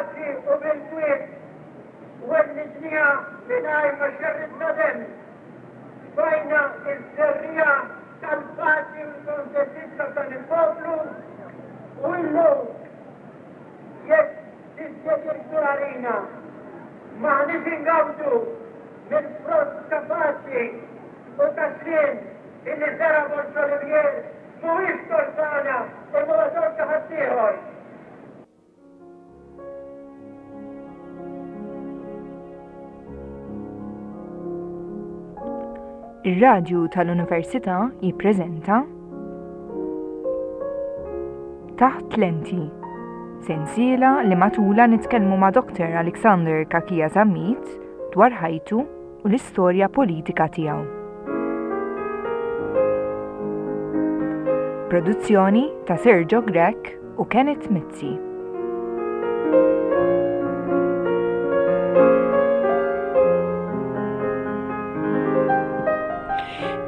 Bil-paċi u bil-kwiet wellidniha mingħajr ma xerridna demm. Tfajna ż-żerriegħa tal-paċi u l-kontentizza f'dan il-poplu u illum jekk dispjaċir kbir għalina m'aħniex ingawdu mill-frott ta' paċi u ta' sliem illi żera' Borg Olivier mhuwiex tort tagħna imma huwa tort ta' ħaddieħor. Ir-Radju tal-Università jippreżenta Taħt Lenti, sensiela li matula nitkellmu ma' Dr. Alexander Kakia Zammit dwar ħajtu u l-istorja politika tiegħu. Produzzjoni ta' Sergio Grech u Kenneth Mizzi.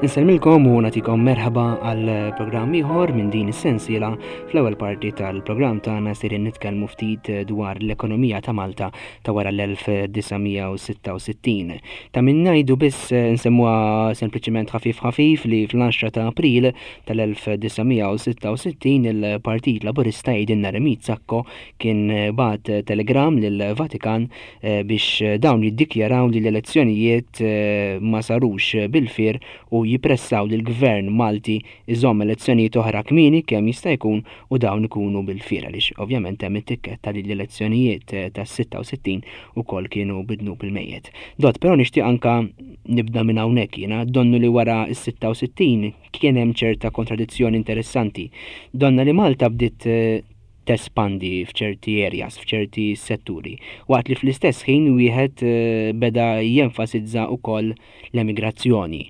Insellmilkom u nagħtikom merħba għal programm ieħor minn din is-sensiela. Fl-ewwel parti tal-programm tagħna sejrin nitkellmu ftit dwar l-ekonomija ta' Malta ta' wara l-1966. Ta' min ngħidu biss nsemmuha sempliċiment ħafif ħafif li fl-10 ta' April tal-1966 il-Partit Laburista jgħidilna Remit Sacco kien bagħat telegram lill-Vatikan biex dawn jiddikjaraw li l-elezzjonijiet ma sarux bil-fier u jippressaw lill-Gvern Malti iżomm elezzjonijiet oħra kmieni kemm jista' jkun u dawn ikunu bil-fier għaliex ovvjament hemm it-tikketta li l-elezzjonijiet tas-66 ukoll kienu bid-dnub il-mejjet. Dott, però nixtieq anka nibda minn hawnhekk jiena, donnu li wara s-66 kien hemm ċerta kontradizzjoni interessanti. Donna li Malta bdiet tespandi f'ċerti areas, f'ċerti setturi, waqt li fl-istess ħin wieħed beda jenfasizza wkoll l-emigrazzjoni.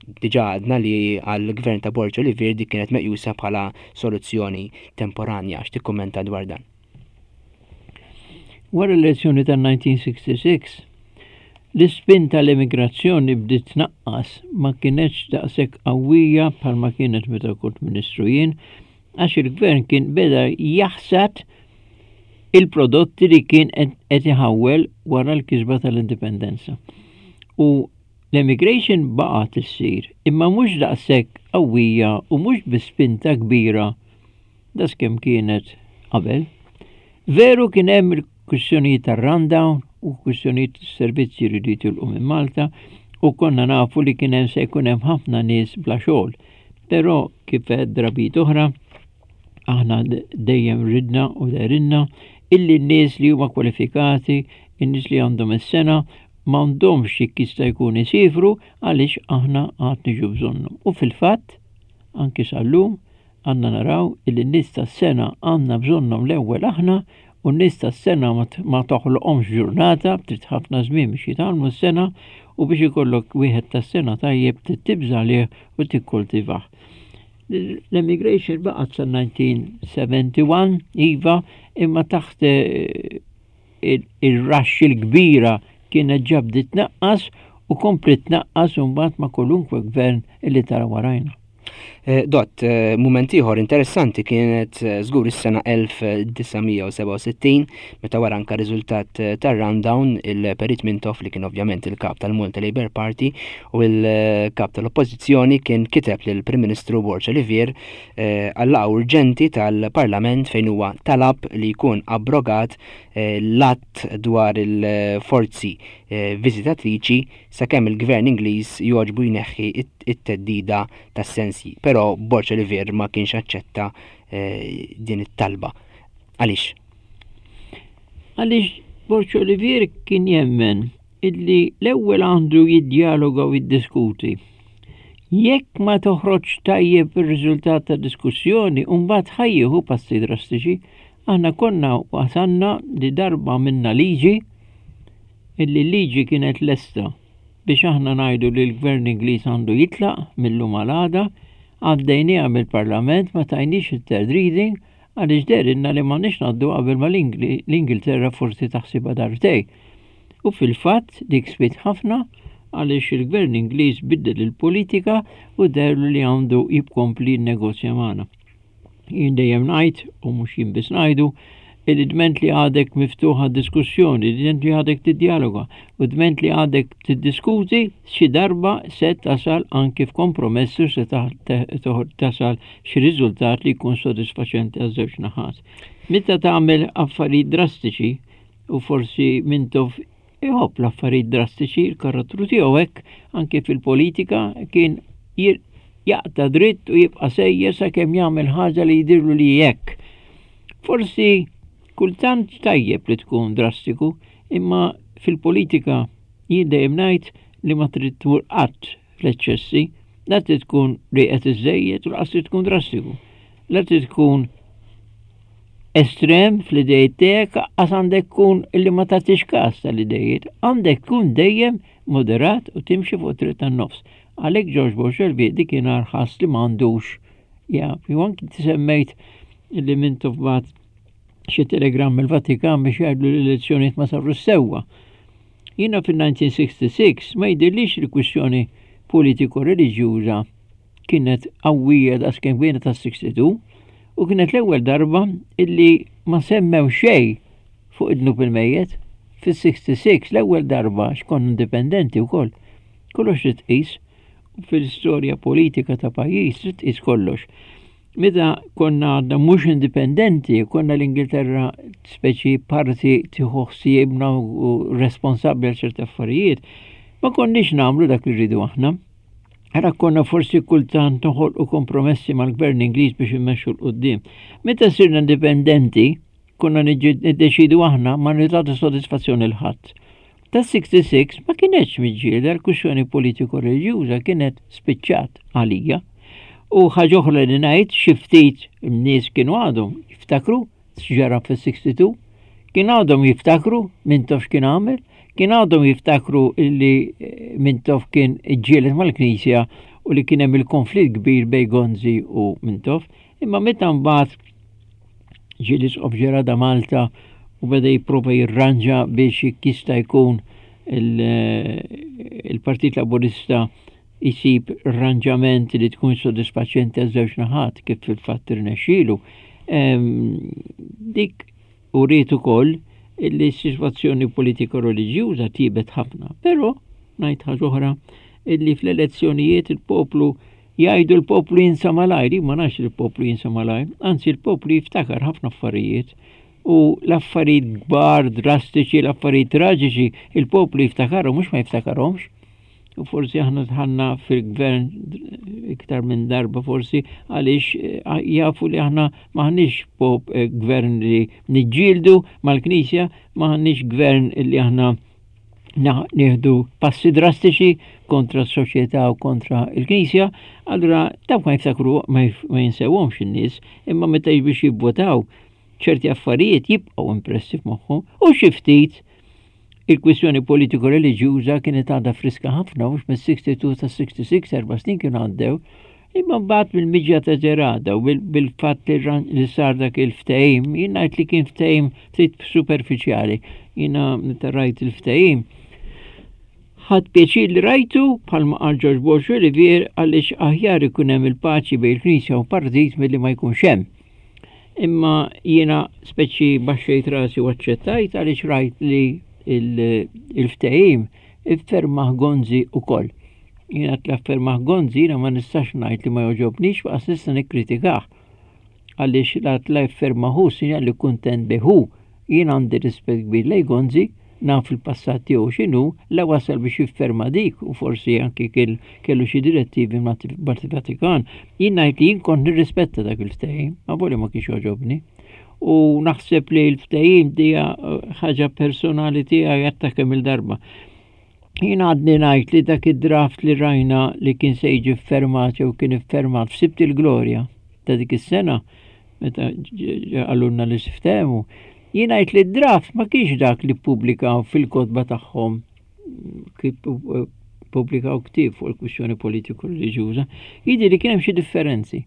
Diġà għadna li għall-gvern ta' Borg Olivier dik kienet meqjusa bħala soluzzjoni temporanja. X'tikkummenta dwar dan? Wara l-elezzjoni tan-1966, l-ispinta tal-emigrazzjoni bdiet tnaqqas, ma kinetx daqshekk qawwija bħalma kienet meta kont Ministru jien, għax il-gvern kien beda jaħsad il-prodotti li kien qed iħawwel wara l-kisba tal-indipendenza. U L-emigration baqgħet issir, imma mhux daqshekk qawwija u mhux bi spinta kbira daqskemm kienet qabel. Veru kien hemm il-kwistjonijiet tar-rundown u kwistjonijiet servizzi jridu jitilqu minn Malta u konna nafu li kien hemm se jkun hemm ħafna nies bla xogħol. Però kif għedt drabiet oħra, aħna dejjem ridna u dehrilna illi n-nies li huma kwalifikati, in-nies li għandhom is-sena m'għandhomx jekk jista' jkun isiefru għaliex aħna għad niġu bżonnhom. U fil-fatt, anki sal-lum, għandna naraw illi n-nies tas-sena għandna bżonnhom l-ewwel aħna u n-nies tas-sena ma toħloqhomx ġurnata, trid ħafna żmien biex jitgħallmu s-sena u biex ikollok wieħed tas-sena tajjeb trid tibża' għalih u tikkultivah. L-emigration baqgħet sa 1971, iva, imma taħt eh, il-rush il-kbira kienet ġa bdiet tnaqqas u kompliet tnaqqas imbagħad ma' kwalunkwe gvern illi tara warajna. Eh, dott, eh, mument ieħor interessanti kienet eh, żgur is-sena 1967 meta wara anka riżultat tar-rundown il-Perit Mintoff li kien ovvjament il-kap tal-Malta Labour Party u l-kap tal-Oppożizzjoni kien kiteb lill-Prim Ministru Borg Olivier għal-laqgħa urġenti tal-Parlament fejn huwa talab li jkun abrogat eh, l-att dwar il-forzi eh, viżitatriċi sakemm il-Gvern Ingliż jogħġbu jneħħi it-teddida tas-sensji. Però Borg Olivier ma kienx aċċetta eh, din it-talba. Għaliex? Għaliex Borg Olivier kien jemmen illi l-ewwel għandu jiddjaloga u jiddiskuti. Jekk ma toħroġ tajjeb ir-riżultat ta' diskussjoni, mbagħad ħa jieħu passi drastiċi. Aħna konna wasalna li darba minna liġi illi liġi kienet lesta biex aħna ngħidu li l-Gvern Ingliż għandu jitlaq mill-lum għal għada, għaddejniha mill-Parlament ma tajniex it-third reading għaliex dehrilna li m'għandniex ngħaddu qabel ma l-Ingilterra forsi taħsibha darbtejn. U fil-fatt dik swiet ħafna għaliex il-Gvern Ingliż biddel il-politika u deherlu li għandu jibkompli jinnegozja magħna. Jien dejjem ngħid, u mhux jien biss ngħidu, Illi dment li għadek miftuħ għad-diskussjoni, dment li għadek tiddialoga u dment li għadek tiddiskuti, xi darba se tasal anki f'kompromess u se tasal xi riżultat li jkun sodisfaċenti għaż-żewġ naħat. Meta tagħmel affarijiet drastiċi u forsi Mintoff iħobb l-affarijiet drastiċi, il-karattru tiegħu hekk anke fil-politika kien jaqta' dritt u jibqa' sejjer sakemm jagħmel ħaġa li jidhirlu li hekk. Forsi kultant tajjeb li tkun drastiku, imma fil-politika jien dejjem ngħid li ma trid tmur qatt fl-eċċessi, la trid tkun rieqed iżżejjed u laqas trid tkun drastiku. La trid tkun estrem fl-idejiet tiegħek, għas għandek tkun illi ma tagħtix każ tal-idejiet, għandek tkun dejjem moderat u timxi fuq triq tan-nofs. Għalhekk George Borxelvi dik ħass li m'għandux ja, ju anki semmejt li Mintoff bagħat xi telegram mill-Vatikan biex jgħidlu l-elezzjonijiet ma saru sewwa. Jiena fil-1966 ma jidhirlix li kwistjoni politiko-reliġjuża kienet qawwija daqskemm kienet tas-62 u kienet l-ewwel darba illi ma semmew xejn fuq id-dnub il-mejjet. Fis-66 l-ewwel darba x'konna indipendenti wkoll. Kollox trid tqis u fil-istorja politika ta' pajjiż trid tqis kollox. Meta konna għadna mhux indipendenti, konna l-Ingilterra speċi parti tieħu ħsiebna u responsabbli għal ċerti affarijiet, ma konniex nagħmlu dak li rridu aħna. Ara konna forsi kultant noħolqu kompromessi mal-gvern Ingliż biex immexxu 'l quddiem. Meta sirna indipendenti, konna niddeċidu aħna ma nagħtu sodisfazzjoni 'l ħadd. Ta' 66 ma kienetx miġġielda l-kwistjoni politiko reliġjuża kienet spiċċat għalija. U ħaġa oħra li ngħid xi ftit nies kienu għadhom jiftakru x'ġara fis-62, kien għadhom jiftakru Mintoff x'kien għamel, kien għadhom jiftakru li eh, Mintoff kien iġġieled mal-Knisja u li kien hemm il-konflitt kbir bejn Gonzi u Mintoff, imma meta mbagħad ġie l-Isqof Ġerada Malta u beda jipprova jirranġa biex jista' jkun il-Partit Laburista jisib arranġament li tkun sodisfaċenti għaż-żewġ naħat kif fil-fatt irnexxielu. Dik uriet ukoll li s-sitwazzjoni politika reliġjuża tibet ħafna, però ngħid ħaġa oħra illi fl-elezzjonijiet il-poplu Jgħidu l-poplu jinsa malajr, jien ma nafx li l-poplu jinsa malajr, anzi l-poplu jiftakar ħafna affarijiet u l-affarijiet kbar, drastiċi, l-affarijiet traġiċi, il-poplu jiftakarhom mhux ma jiftakarhomx. U forsi aħna tħanna fil-gvern iktar minn darba forsi għaliex eh, jafu li aħna maħniex pop eh, gvern li niġġieldu mal-Knisja, maħniex gvern li aħna nieħdu passi drastiċi kontra s-soċjetà u kontra l-Knisja, allura dawk ma jiftakru ma jinsewhomx in-nies, imma meta biex jivvotaw ċerti affarijiet jibqgħu impressi f'moħħhom u xi ftit il-kwistjoni politiko reliġjuża kienet għadha friska ħafna mhux mis-62 ta' 66 erba' snin kienu għaddew Imma mbagħad bil-miġja ta' Gerada u bil-fatt li sar dak il-ftehim, jien ngħid li kien ftehim ftit superfiċjali. Jiena meta rajt il-ftehim, ħadd pjaċir li rajtu bħalma qal George Borg Olivier għaliex aħjar ikun hemm il-paċi bejn il-Knisja u partit milli ma jkunx hemm. Imma jiena speċi baxxejt rasi u aċċettajt għaliex rajt li il-ftehim iffermah Gonzi ukoll. Jiena t-affermah Gonzi jiena ma nistax ngħid li ma jogħġobnix waqas nista' nikkritikah. Għaliex la tla jiffermahu sinjal li kuntent bihu. Jien għandi rispett kbir lej Gonzi, naf il-passat tiegħu x'inhu, la wasal biex jifferma dik u forsi anki kellu xi direttivi mal-Vatikan. Jien ngħid li jien kont nirrispetta dak il-ftehim, ma voli ma kienx jogħġobni. U naħseb li l-ftehim dija eh, ħaġa personali tiegħi għatta kemm il-darba. Jien għadni ngħid li dak id-draft li rajna li kien se jiġi ffermat jew kien iffermat f'Sibt il-Glorja ta' dik is-sena meta għalunna li siftehmu, jien ngħid li d-draft ma kienx dak li ppubblikaw fil-kotba tagħhom kif pubblikaw ktieb fuq il-kwistjoni politiku reliġjuża, jidhi li kien hemm xi differenzi.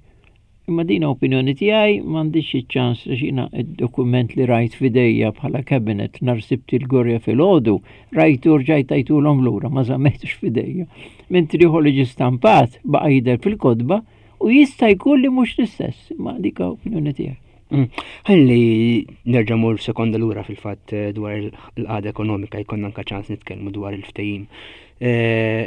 Imma din opinjoni tiegħi m'għandix iċ-ċans li jiena d-dokument li rajt f'idejja bħala cabinet nhar Sibt il-Gorja filgħodu, rajtu rġajt tajtulhom lura ma żammejtux f'idejja. Mentri ieħor li ġie stampat baqa' jidher fil-kotba u jista' jkun li mhux l-istess, imma dik opinjoni tiegħi. Ħalli nerġa' mur sekonda lura fil-fatt eh, dwar il-qagħda ekonomika jkollna anke ċans nitkellmu dwar il-ftehim. Eh,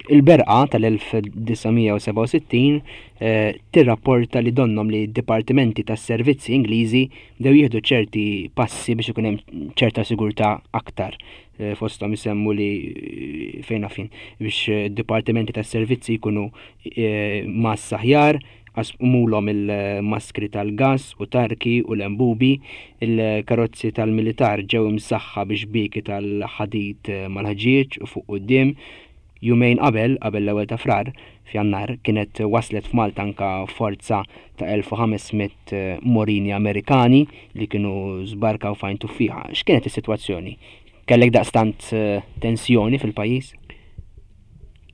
il-berqa tal-1967 eh, tirrapporta li donnom li d-dipartimenti tas-servizzi Ingliżi bdew jieħdu ċerti passi biex ikun hemm ċerta sigurtà aktar fosthom isemmu li fejn fin biex dipartimenti tas-servizzi jkunu massa aħjar, qasmulhom il-maskri tal-gass u tarki u lembubi, il-karozzi tal-militar ġew imsaħħa bi xbieki tal-ħadid mal-ħġieġ u fuq quddiem. Jumejn qabel, qabel l-ewwel ta' Frar, f'Jannar, kienet waslet f'Malta anka forza ta' 1500 morini Amerikani li kienu żbarkaw f'Għajn Tuffieħa. X'kienet is-sitwazzjoni? Kellek daqstant tensjoni fil-pajjiż?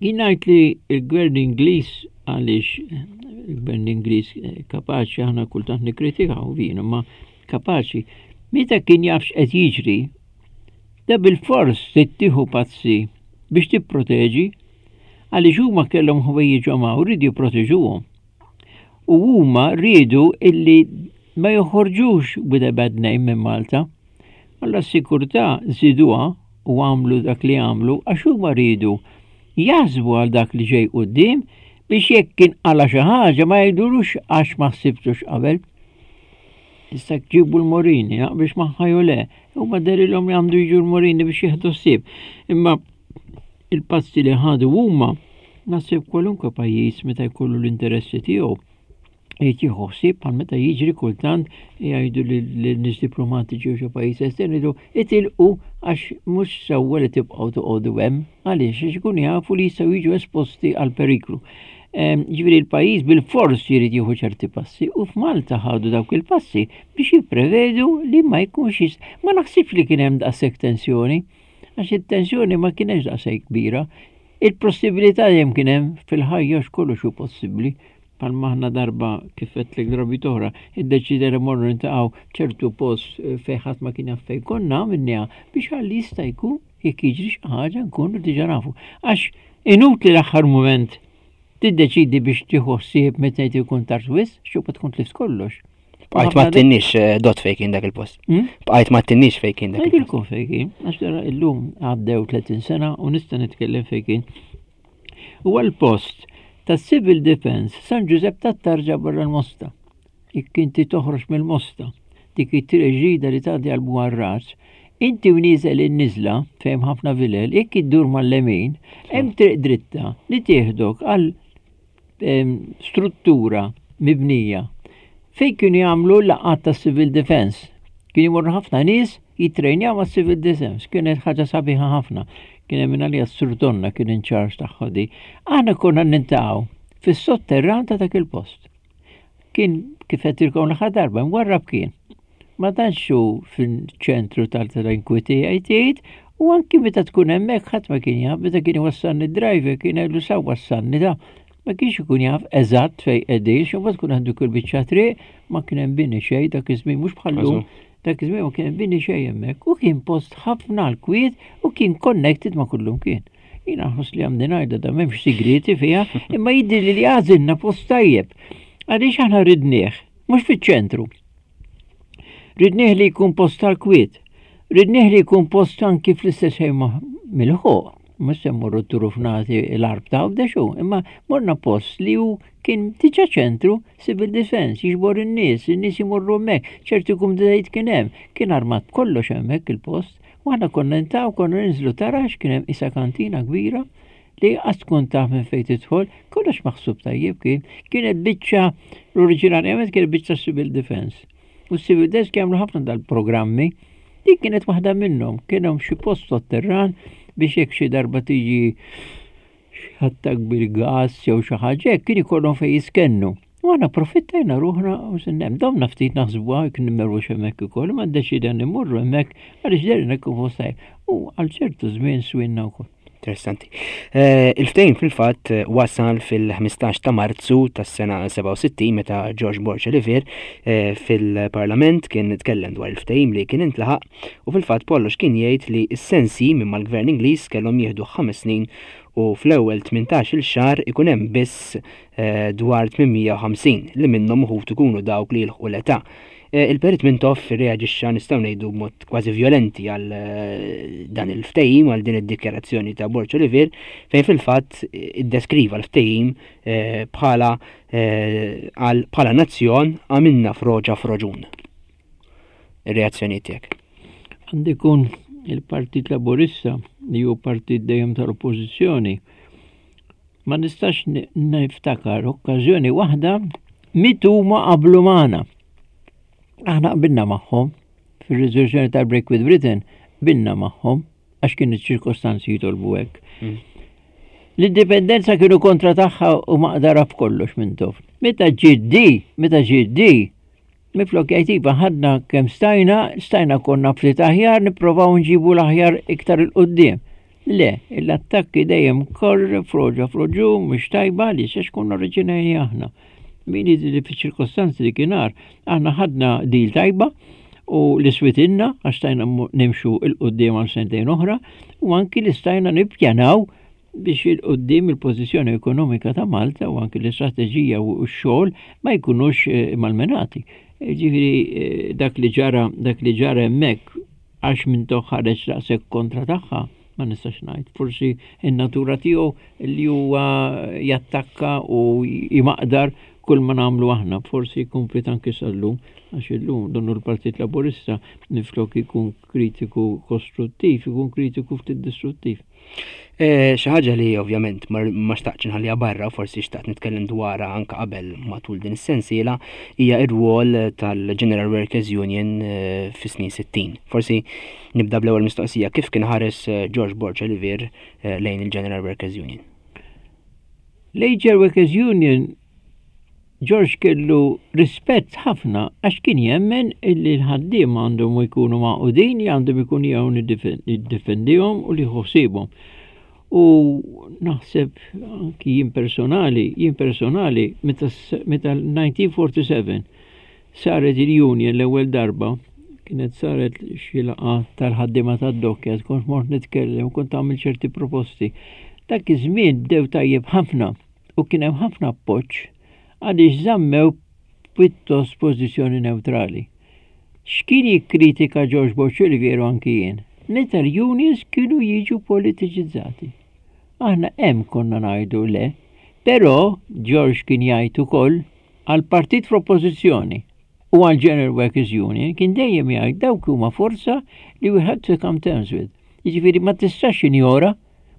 Jien ngħid li l-gvern Ingliż għaliex il-gvern Ingliż eh, kapaċi aħna kultant nikkritikaw vin, imma kapaċi meta kien jaf x'qed jiġri, da bil-fors tittieħu pazzi biex tipproteġi għaliex huma kellhom ħwejjiġhom hawn rridu jipproteġuhom. U huma riedu illi ma joħorġux with a bad name minn Malta. Alla s-sikurtà żiduha u għamlu dak li għamlu għax huma riedu jaħsbu għal dak li ġej quddiem biex jekk kien qala xi ħaġa ma jgħidulux għax ma ħsibtux qabel. Issa ġibu l-Morini, biex magħha jew le, huma derilhom li għandu jiġu l-Morini biex jieħdu ħsieb. Imma il-passi li ħadu huma naħseb kwalunkwe pajjiż meta jkollu l-interessi tiegħu jrid jieħu ħsieb bħal meta jiġri kultant jgħidu lin-nies diplomatiċi u xi pajjiż estern jgħidu itilqu għax mhux sewwa li tibqgħu toqogħdu hemm għaliex għax ikunu jafu li jistgħu jiġu esposti għal periklu. Ehm, ġifieri l-pajjiż bil-fors jrid jieħu ċerti passi u f'Malta ħadu dawk il-passi biex jipprevedu li ma jkunx ma naħsibx li kien hemm daqshekk tensjoni għax it-tensjoni ma kienx daqshekk kbira. Il-possibilità dejjem kien hemm fil-ħajja x'kollox hu possibbli. Bħalma aħna darba kif għedtlek drabi oħra, iddeċidejna morru niltaqgħu ċertu post eh, fejn ħadd ma kien jaf fejn konna għamilniha biex għalli jista' jkun jekk jiġri xi ħaġa nkunu diġà nafu. Għax inutli l-aħħar mument tiddeċidi biex tieħu ħsieb meta jgħid ikun tard wisq, xubba tkun tlift kollox. Bqajt ma tinnix eh, dot fejn kien dak il-post. Hmm? Bqajt ma tinnix fejn kien dak il-post. fejn kien, għax illum għaddew 30 sena u nista' nitkellem fejn kien. Huwa l-post tas-Civil Defence San Ġużepp tat-Tarġa barra l-Mosta. Jekk inti toħroġ mill-Mosta, dik it-triq ġdida li tgħaddi għal Buarras, inti u nieżel in-niżla fejn ħafna vilel, jekk iddur mal-lemin, hemm triq dritta li tieħdok għal struttura mibnija fejn kienu jagħmlu laqgħat ta' civil defense. Kienu jmorru ħafna nies jitrejnjaw ma' civil defense. Kienet ħaġa sabiħa ħafna. Kien hemm għalija s-surdonna kien in charge tagħha di. Aħna konna nintaqgħu fis-sotterran ta' dak il-post. Kien kif qed l-aħħar darba mwarrab kien. Ma tantx hu fil-ċentru tal-trankwiti jgħid u anki meta tkun hemmhekk ħadd ma kien jaf, meta kien iwassalni driver kien jgħidlu sa wassalni da. Ma kienx ikun jaf eżatt fejn qegħdin, xi mbagħad tkun għandu kull biċċa triq, ma kien hemm bini xejn dak iż-żmien mhux bħallum. Dak iż-żmien ma kien hemm bini xejn hemmhekk u kien post ħafna l-kwiet u kien connected ma' kullum kien. Jiena nħoss li għandi ngħidha da m'hemmx sigrieti fiha, imma jidhirli li għażilna post tajjeb. Għaliex aħna ridnieh, mhux fiċ-ċentru. Ridnieh li jkun post tal-kwiet. Ridnieh li jkun post anki fl-istess ħin mill-ħuq. Mhux se mmorru turufnati l-arb ta' għawdex imma morna post li hu kien diġà ċentru civil defense, jiġbor in-nies, in-nies imorru hemmhekk, ċerti kumditajiet kien hemm, kien armat b'kollox hemmhekk il-post. U aħna konna ntaw, konna ninżlu tarax, kien hemm isa kantina kbira li qas tkun taf minn fejn tidħol, kollox maħsub tajjeb kien. Kienet biċċa l-oriġinarjament kienet biċċa civil defense. U civil defense jagħmlu ħafna dal-programmi. Dik kienet waħda minnhom, kien hemm xi post sotterran biex jekk xi darba tiġi attak bil-gas jew xi ħaġa hekk kien ikollhom fejn jiskennu. U aħna profittajna ruħna u sinnem, domna ftit naħsbuha jekk nimmerrux hemmhekk ukoll, ma ddeċidejna immorru hemmhekk għaliex derina jkun fost tajjeb. U għal ċertu żmien swinna wkoll. Interessanti. Eh, il-ftehim fil-fatt eh, wasal fil-15 ta' Marzu tas-sena 67 meta George Borg Olivier eh, fil-Parlament kien tkellem dwar il-ftehim li kien intlaħaq u fil-fatt Pollox kien jgħid li s-sensi minn mal-Gvern Ingliż kellhom jieħdu ħames snin u fl-ewwel 18-il xahar ikun hemm biss dwar 850 li minnhom uħud ikunu dawk li jilħqu l-età. Eh, il-Perit Mintoff reaġixxa nistgħu ngħidu b'mod kważi vjolenti għal eh, dan il-ftehim għal din id-dikjarazzjoni ta' Borg Olivier fejn fil-fatt iddeskriva l-ftehim eh, bħala bħala nazzjon għamilna froġa froġun. Ir-reazzjoni tiegħek. Għandi kun il-Partit Laburista li hu partit dejjem tal-Oppożizzjoni Ma nistax niftakar okkażjoni waħda mit huma qablu magħna. Aħna qbilna magħhom fir-riżoluzzjoni tal-Break with Britain qbilna magħhom għax kien iċ-ċirkostanzi jitolbu hekk. Mm. L-indipendenza kienu kontra tagħha u maqdara f'kollox minn tof. Meta ġiddi, meta ġiddi, Minflok jgħid iva ħadna kemm stajna, stajna konna ftit aħjar nipprovaw nġibu l-aħjar iktar 'il quddiem. Le, l-attakki dejjem korr, froġa froġu, mhux tajba li għax konna oriġinajni aħna. Min li fiċ-ċirkostanzi li kienar, aħna ħadna dil tajba u li switinna għax stajna nimxu 'il quddiem għal sentejn oħra u anki li stajna nippjanaw biex 'il quddiem il-pożizzjoni ekonomika ta' Malta u anki l-istrateġija u x-xogħol ma jkunux eh, malmenati. Eh, ġifieri eh, dak li ġara dak li ġara hemmhekk għax minn ħareġ daqshekk kontra tagħha ma nistax ngħid. Forsi in-natura tiegħu li huwa jattakka u jmaqdar kull ma nagħmlu aħna, forsi jkun anki sal-lum, għax illum donnu l-Partit Laburista niflok ikun kritiku kostruttiv, ikun kritiku ftit distruttiv. Eh, xi ħaġa li ovvjament ma xtaqtx nħalliha barra, forsi xtaqt nitkellem dwarha anke qabel matul din is-sensiela, hija r-rwol tal-General Workers Union eh, fis-snin 60. Forsi nibda bl-ewwel mistoqsija kif kien ħares eh, George Borg Olivier lejn il-General Workers Union? Lejn General Workers Union George kellu rispett ħafna għax kien jemmen illi l-ħaddiema għandhom jkunu magħqudin, li għandhom ikun jew jiddefendihom u li ħsiebhom. U naħseb anki jien personali, jien personali meta 1947 saret il-union l-ewwel darba, kienet saret xi laqgħa tal-ħaddiema tad-dokkja, kont mort nitkellem, kont għamil ċerti proposti. Dak iż-żmien bdew tajjeb ħafna u kien hemm ħafna appoġġ għaliex żammew pjuttost pożizzjoni newtrali. X'kien jikkritika George Borg Olivier u anki jien? Meta l-unions kienu jiġu politiċizzati. Aħna hemm konna ngħidu le, però George kien jgħid ukoll għal partit fl-oppożizzjoni u għal General Workers Union kien dejjem jgħid dawk huma forza li we had to come terms with. Jiġifieri ma tistax injora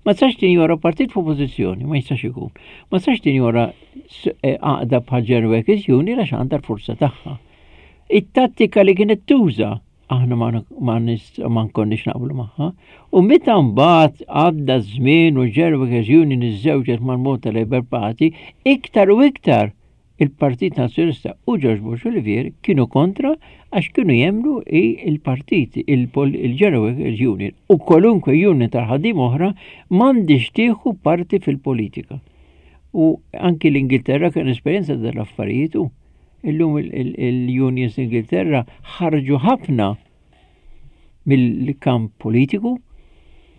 Ma tistax tinjora partit f'oppożizzjoni, ma jistax ikun. Ma tistax tinjora eh, għaqda bħal General Workers Union għax għandha l-forza tagħha. It-tattika li kienet tuża aħna ma nkonniex naqblu magħha. U meta mbagħad għadda żmien u General Workers Union iżżewġet mal-Malta Labour Party, iktar u iktar Il-Partit Nazzjonalista u George Bush Olivier kienu kontra għax kienu jemmnu i il-partit, il-General Workers Union u kwalunkwe union tal-ħaddiem oħra m'għandhiex tieħu parti fil-politika. U anki l-Ingilterra kien esperjenza dal-affarijiet u illum il-unions l-Ingilterra ħarġu ħafna mill-kamp politiku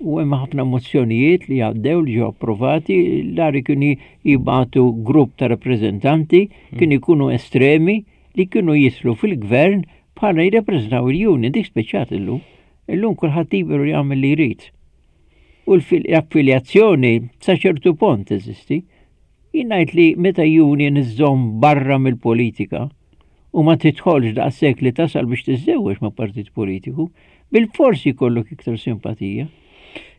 u hemm ħafna mozzjonijiet li għaddew li ġew approvati l-għari kienu jibgħatu grupp ta' rappreżentanti hmm. kienu jkunu estremi li kienu jislu fil-gvern bħala jirrappreżentaw il-union dik speċjat illum. Illum kulħadd liberu jagħmel li jrid. U l-affiljazzjoni sa ċertu pont teżisti. Jien ngħid li meta union iżżomm barra mill-politika u ma tidħolx daqshekk li tasal biex tiżżewweġ ma' partit politiku, bilfors jkollok iktar simpatija.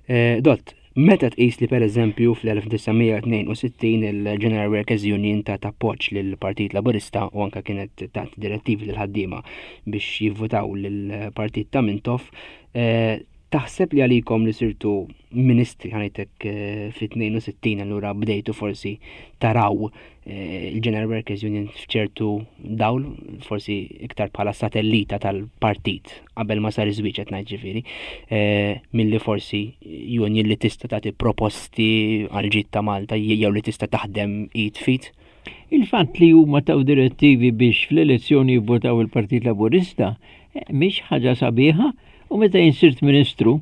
Eh, Dott, meta tqis li pereżempju fl-1962 il-General Workers Union ta' appoġġ lill-Partit Laburista u anka kienet tat direttivi lil ħaddiema biex jivvutaw lill-Partit ta' Mintoff, eh, Taħseb li għalikom li sirtu ministri ħanajtek eh, fit-62 allura bdejtu forsi taraw eh, il-General Workers Union f'ċertu dawl, forsi iktar bħala satellita tal-partit qabel ma sar iż-żwieġ qed ngħid ġifieri, eh, milli forsi union li tista' tagħti proposti għal ġid ta' Malta jew li tista' taħdem id fit? Il-fatt li huma taw direttivi biex fl-elezzjoni jivvotaw il-Partit Laburista mhix ħaġa sabiħa u meta jien sirt ministru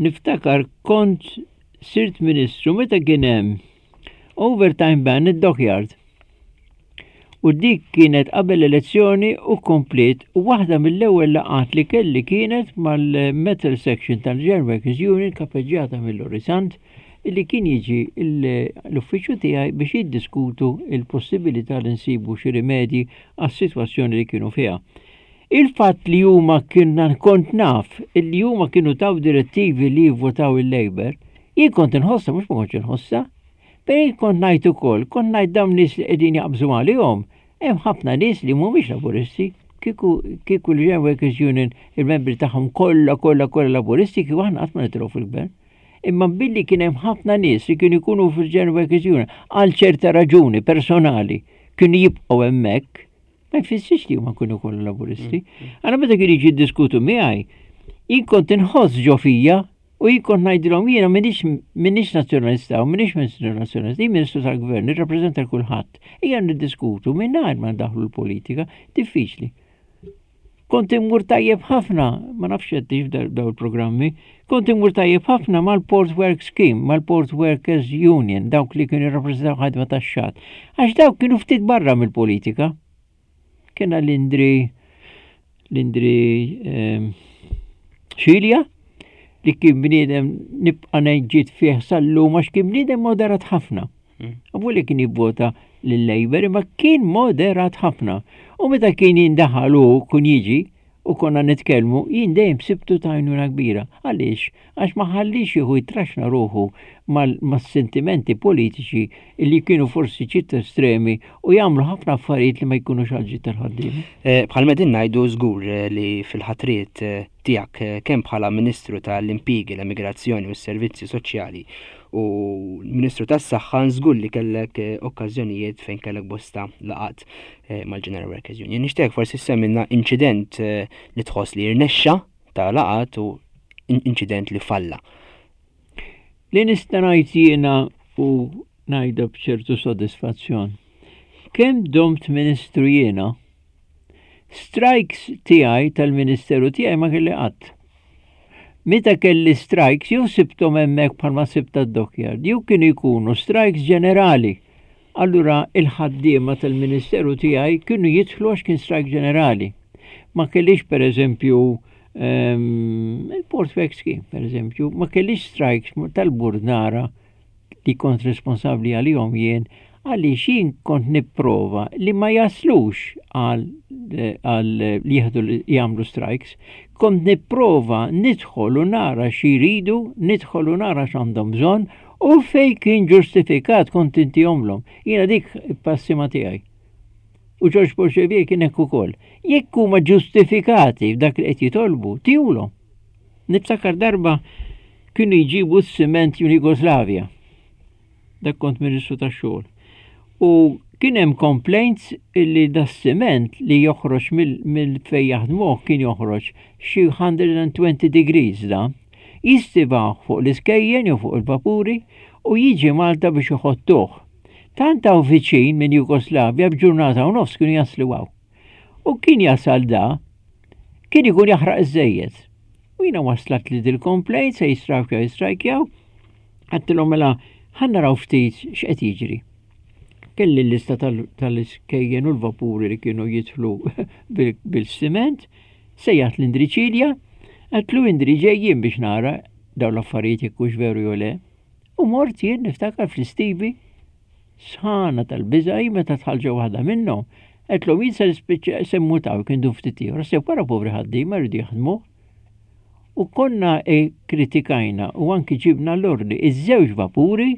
niftakar kont sirt ministru meta kien hemm overtime ban id-dockyard. U dik kienet qabel l-elezzjoni u kompliet u waħda mill-ewwel laqgħat li kelli kienet mal-Metal Section tal-General Workers Union kapeġġjata mill-Lorry Sant illi kien jiġi l-uffiċċju tiegħi biex jiddiskutu l-possibilità li nsibu xi rimedji għas-sitwazzjoni li kienu fiha. Il-fatt li huma kienna kont naf illi huma kienu taw direttivi li jivvotaw il-Labour, jien kont inħossha mhux ma kontx inħossha. Però jien kont ngħid ukoll, kont ngħid dawn nies li qegħdin jaqbżu għalihom, hemm ħafna nies li mhumiex Laburisti. Kieku kieku l-General Workers Union il-membri tagħhom kollha kollha kollha Laburisti kieku aħna qatt ma nitilgħu fil-gvern. Imma billi kien hemm ħafna nies li kienu jkunu fil-General Workers Union għal ċerta raġuni personali kienu jibqgħu hemmhekk, ma jfissirx li huma kienu kollha Laburisti. Għala meta kienu jiġi jiddiskutu miegħi, jien kont inħoss ġo fija U jien kont ngħidilhom jiena m'iniex m'iniex nazzjonalista u m'iniex Ministru Nazzjonalista, jien Ministru tal-Gvern, nirrappreżenta l kulħadd. Ejja niddiskutu mingħajr ma ndaħlu l-politika, diffiċli. Kont immur tajjeb ħafna, ma nafx qed daw il-programmi, kont immur tajjeb ħafna mal-Port Work Scheme, mal-Port Workers Union, dawk li kienu jirrappreżentaw ħadma tax-xatt. Għax dawk kienu ftit barra mill-politika. Kena l-Indri l-Indri ehm, Xilja li kien bniedem nibqa' ngħid fih sal-lum għax kien bniedem moderat ħafna. Mm. Avu li kien jivvota lill-Labour imma kien moderat ħafna. U meta kien jindaħal u kun jiġi u konna nitkellmu, jien dejjem sibtu ta' għajnuna kbira. Għaliex? Għax ma ħallix jieħu jitraxna ruħu mas-sentimenti politiċi li kienu forsi ċitt estremi u jagħmlu ħafna affarijiet li ma jkunux għal tal-ħaddiema. Eh, bħal medin ngħidu żgur eh, li fil-ħatriet eh, tiegħek kemm bħala Ministru tal-Impjiegi, l-Emigrazzjoni u s-Servizzi Soċjali u Ministru tas-Saħħa żgur li kellek okkażjonijiet fejn kellek bosta laqat mal-General Workers Union. Nixtieq forsi semmilna inċident li tħoss li rnexxa ta' laqat u inċident li falla. Li nista' ngħid jiena u ngħidha b'ċertu sodisfazzjon. Kemm domt ministru jiena, strikes tiegħi tal-ministeru tiegħi ma kelli qatt. Meta kelli strikes jew sibthom hemmhekk bħalma sibt tad-dockyard, jew kienu jkunu strikes ġenerali. Allura il-ħaddiema tal-ministeru tiegħi kienu jidħlu għax kien strike ġenerali. Ma kellix pereżempju ehm, il-Port Work Scheme, pereżempju, ma kellix strikes tal-burdnara li kont responsabbli għalihom jien għaliex jien kont nipprova li ma jaslux għal għal li jieħdu jagħmlu strikes, kont nipprova nidħol u nara xi jridu, nidħol u nara x'għandhom bżonn u fej kien ġustifikat kont intihomlhom. Jiena dik passima tiegħi. U George Paul Xavier kien hekk ukoll. Jekk huma ġustifikati f'dak li qed jitolbu, tihulhom. Niftakar darba kienu jġibu s-siment minn Jugoslavja. Dak kont Ministru tax-xogħol. U kien hemm complaints illi das-siment li joħroġ mill fejn jaħdmuh kien joħroġ xi 120 degrees da. Jistivawh fuq l-iskejjen jew fuq il-vapuri u jiġi Malta biex iħottuh. Tant hawn viċin minn Jugoslavja b'ġurnata u nofs kienu jaslu hawn. U kien jasal da, kien ikun jaħraq iż-żejjed. U jiena waslat li dil-complaint se jistrajkjaw jistrajkjaw, għattilhom mela ħa naraw ftit x'qed jiġri. Kelli l-lista tal-iskejjen u l-vapuri li kienu jidħlu bil-siment, sejjaħt l-Indri Ċilja, għedtlu Indri ġejjin biex nara dawn l-affarijiet jekk hux veru jew le. U mort jien niftakar fl-istivi sħana tal-biża' hi meta dħalt ġo waħda minnhom, għedtlhom jien se nispiċċa se mmut hawn jekk indum ftit ieħor, sew wara povri ħaddiema jridu jaħdmu. U konna kkritikajna u anki ġibna l-ordni iż-żewġ vapuri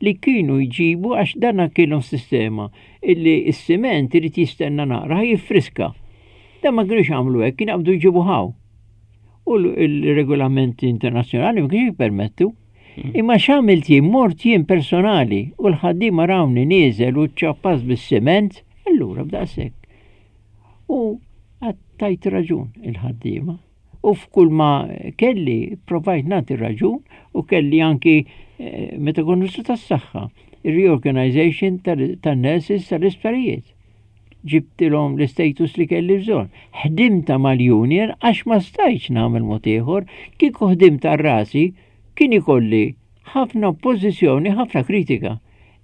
li kienu jġibu għax dana kienhom sistema illi s-siment irid jistenna naqra ħa jiffriska. Dan ma kienux għamlu hekk, kien jaqbdu jġibu hawn. U l-regolamenti internazzjonali ma kienx jippermettu. Imma x'għamilt jien? Mort jien personali u l-ħaddiema rawni nieżel u ċċappast bis-siment, allura b'daqshekk. U tajt raġun il-ħaddiema. U f'kull ma kelli provajt nagħti raġun u kelli anki eh, meta kont Ministru tas-Saħħa, ir-reorganization tan-nurses tal-isptarijiet. Ġibtilhom l-istatus li kelli bżonn. Ħdimta mal-union għax ma stajtx nagħmel mod ieħor, kieku ħdimt għal rasi kien ikolli ħafna oppożizzjoni, ħafna kritika.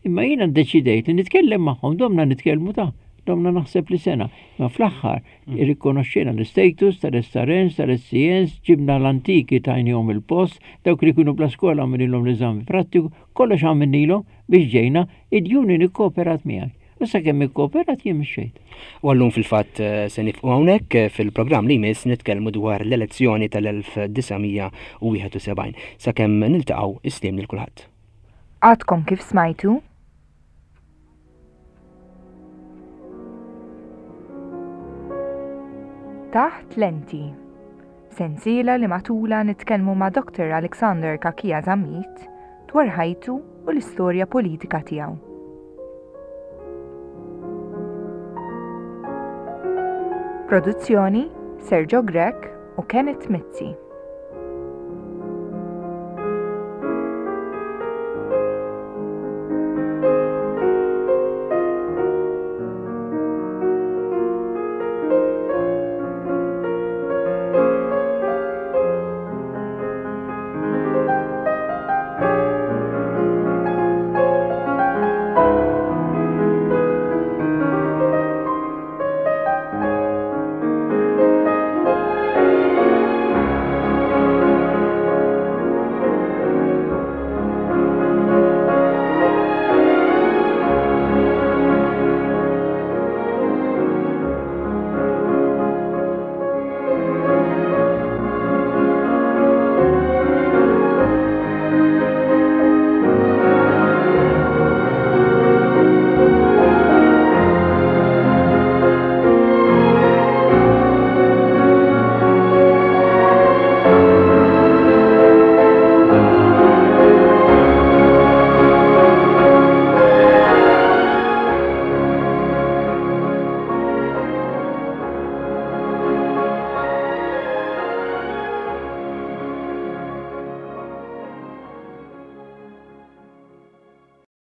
Imma jiena ddeċidejt li nitkellem magħhom, domna nitkellmu ta' Domna naħseb li sena. Ma fl-aħħar mm. irrikonoxxejna l-status tal-SRNs, tal-SCNs, ġibna l-antiki tajnihom il-post, dawk li kienu bla skola għamililhom l-eżami prattiku, kollox għamilnilhom biex ġejna, id-union ikkooperat miegħi. U sakemm ikkooperat jien mxejt. U għallum fil-fatt eh, se nifqu hawnhekk eh, fil-programm li jmiss nitkellmu dwar l-elezzjoni tal-1971. Sakemm niltaqgħu islim lil kulħadd. Għadkom kif smajtu? Taħt lenti. Sensiela li matula nitkellmu ma' Dr. Alexander Kakia Zammit dwar ħajtu u l-istorja politika tiegħu. Produzzjoni Sergio Grech u Kenneth Mizzi.